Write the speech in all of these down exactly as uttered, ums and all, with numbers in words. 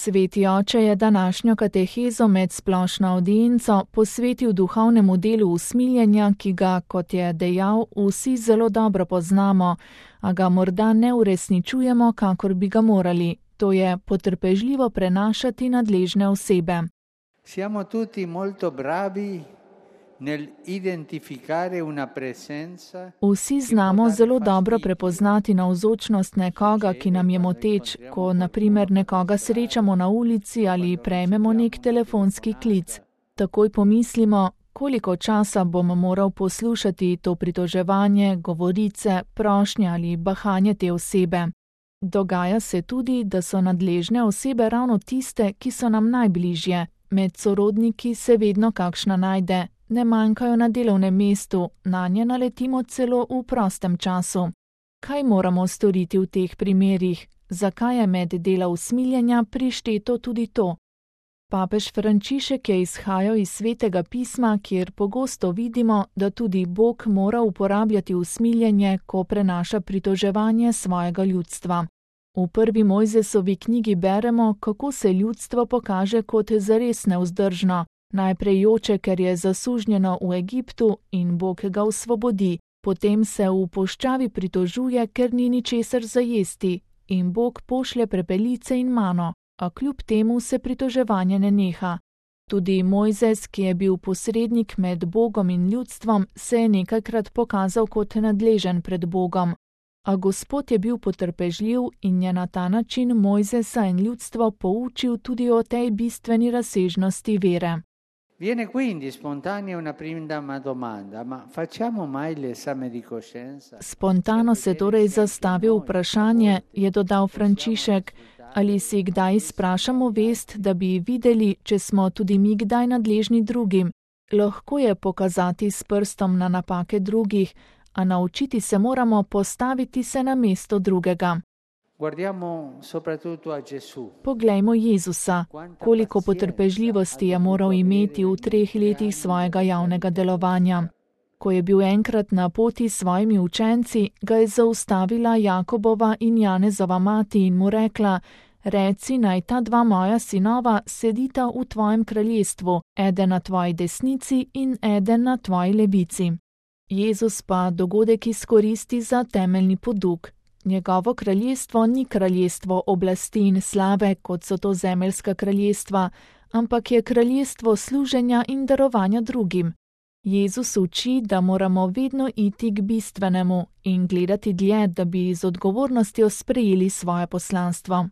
Sveti oče je današnjo katehezo med splošno avdienco posvetil duhovnemu delu usmiljenja, ki ga, kot je dejal, vsi zelo dobro poznamo, a ga morda ne uresničujemo, kakor bi ga morali, to je potrpežljivo prenašati nadležne osebe. Siamo tutti molto bravi nel identificare una presenza. Vsi znamo zelo dobro prepoznati navzočnost nekoga, ki nam je moteč, ko na primer nekoga srečamo na ulici ali prejmemo nek telefonski klic. Takoj pomislimo, koliko časa bom moral poslušati to pritoževanje, govorice, prošnje ali bahanje te osebe. Dogaja se tudi, da so nadležne osebe ravno tiste, ki so nam najbližje. Med sorodniki se vedno kakšna najde. Ne manjkajo na delovnem mestu, nanje naletimo celo v prostem času. Kaj moramo storiti v teh primerih? Zakaj je med dela usmiljenja prišteto tudi to? Papež Frančišek je izhajal iz Svetega pisma, kjer pogosto vidimo, da tudi Bog mora uporabljati usmiljenje, ko prenaša pritoževanje svojega ljudstva. V prvi Mojzesovi knjigi beremo, kako se ljudstvo pokaže kot zares nevzdržno. Najprej joče, ker je zasužnjeno v Egiptu in Bog ga osvobodi, potem se v puščavi pritožuje, ker ni ničesar za jesti in Bog pošlje prepelice in mano, a kljub temu se pritoževanje ne neha. Tudi Mojzes, ki je bil posrednik med Bogom in ljudstvom, se je nekajkrat pokazal kot nadležen pred Bogom. A Gospod je bil potrpežljiv in je na ta način Mojzesa in ljudstvo poučil tudi o tej bistveni razsežnosti vere. Viene quindi spontanea una prima domanda, ma facciamo mai l'esame di coscienza? Spontano se torej zastavi vprašanje, je dodal Frančišek, ali si kdaj sprašamo vest, da bi videli, če smo tudi mi kdaj nadležni drugim. Lahko je pokazati s prstom na napake drugih, a naučiti se moramo postaviti se na mesto drugega. Guardiamo soprattutto a Gesù. Poglejmo Jezusa, koliko potrpežljivosti je moral imeti v treh letih svojega javnega delovanja. Ko je bil enkrat na poti s svojimi učenci, ga je zaustavila Jakobova in Janezova mati in mu rekla: reci, naj ta dva moja sinova sedita v tvojem kraljestvu, eden na tvoji desnici in eden na tvoji levici. Jezus pa dogodek izkoristi za temeljni poduk. Njegovo kraljestvo ni kraljestvo oblasti in slave, kot so to zemeljska kraljestva, ampak je kraljestvo služenja in darovanja drugim. Jezus uči, da moramo vedno iti k bistvenemu in gledati dlje, da bi z odgovornostjo sprejeli svoje poslanstvo.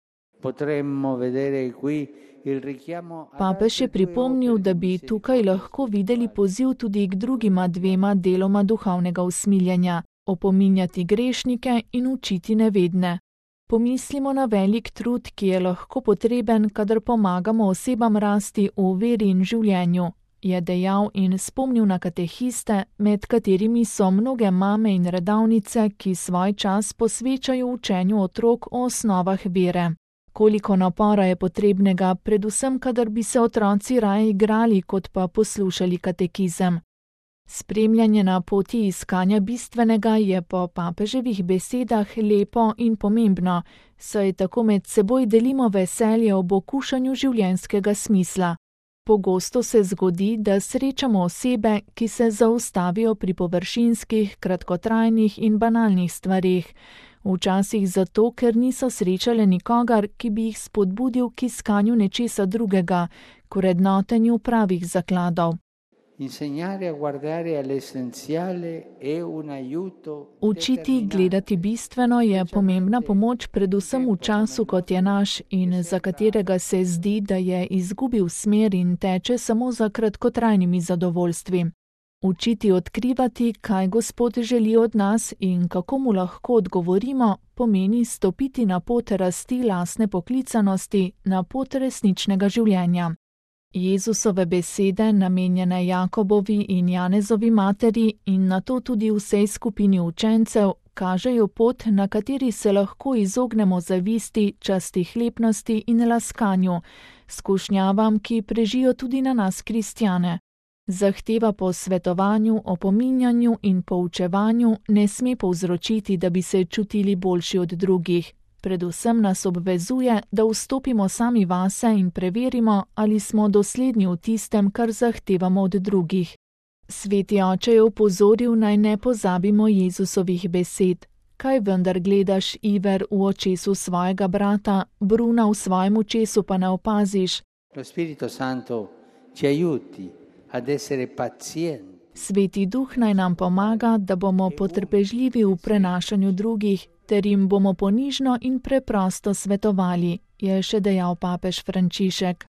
Papež je pripomnil, da bi tukaj lahko videli poziv tudi k drugima dvema deloma duhovnega usmiljenja. Opominjati grešnike in učiti nevedne. Pomislimo na velik trud, ki je lahko potreben, kadar pomagamo osebam rasti v veri in življenju, je dejal in spomnil na katehiste, med katerimi so mnoge mame in redavnice, ki svoj čas posvečajo učenju otrok o osnovah vere. Koliko napora je potrebnega, predvsem kadar bi se otroci raje igrali, kot pa poslušali katekizem. Spremljanje na poti iskanja bistvenega je po papeževih besedah lepo in pomembno, saj tako med seboj delimo veselje ob okušanju življenjskega smisla. Pogosto se zgodi, da srečamo osebe, ki se zaustavijo pri površinskih, kratkotrajnih in banalnih stvareh, včasih zato, ker niso srečale nikogar, ki bi jih spodbudil k iskanju nečesa drugega, k vrednotenju pravih zakladov. Učiti gledati bistveno je pomembna pomoč predvsem v času, kot je naš in za katerega se zdi, da je izgubil smer in teče samo za kratkotrajnimi zadovoljstvi. Učiti odkrivati, kaj Gospod želi od nas in kako mu lahko odgovorimo, pomeni stopiti na pot rasti lastne poklicanosti, na pot resničnega življenja. Jezusove besede, namenjene Jakobovi in Janezovi materi in nato tudi vsej skupini učencev, kažejo pot, na kateri se lahko izognemo zavisti, častihlepnosti in laskanju, skušnjavam, ki prežijo tudi na nas kristjane. Zahteva po svetovanju, opominjanju in poučevanju ne sme povzročiti, da bi se čutili boljši od drugih. Predvsem nas obvezuje, da vstopimo sami vase in preverimo, ali smo dosledni v tistem, kar zahtevamo od drugih. Sveti oče je opozoril, naj ne pozabimo Jezusovih besed. Kaj vendar gledaš, Iver, v očesu svojega brata, bruna v svojem očesu pa ne opaziš? Lo Spirito Santo ci aiuti ad essere pazienti. Sveti duh naj nam pomaga, da bomo potrpežljivi v prenašanju drugih, ter jim bomo ponižno in preprosto svetovali, je še dejal papež Frančišek.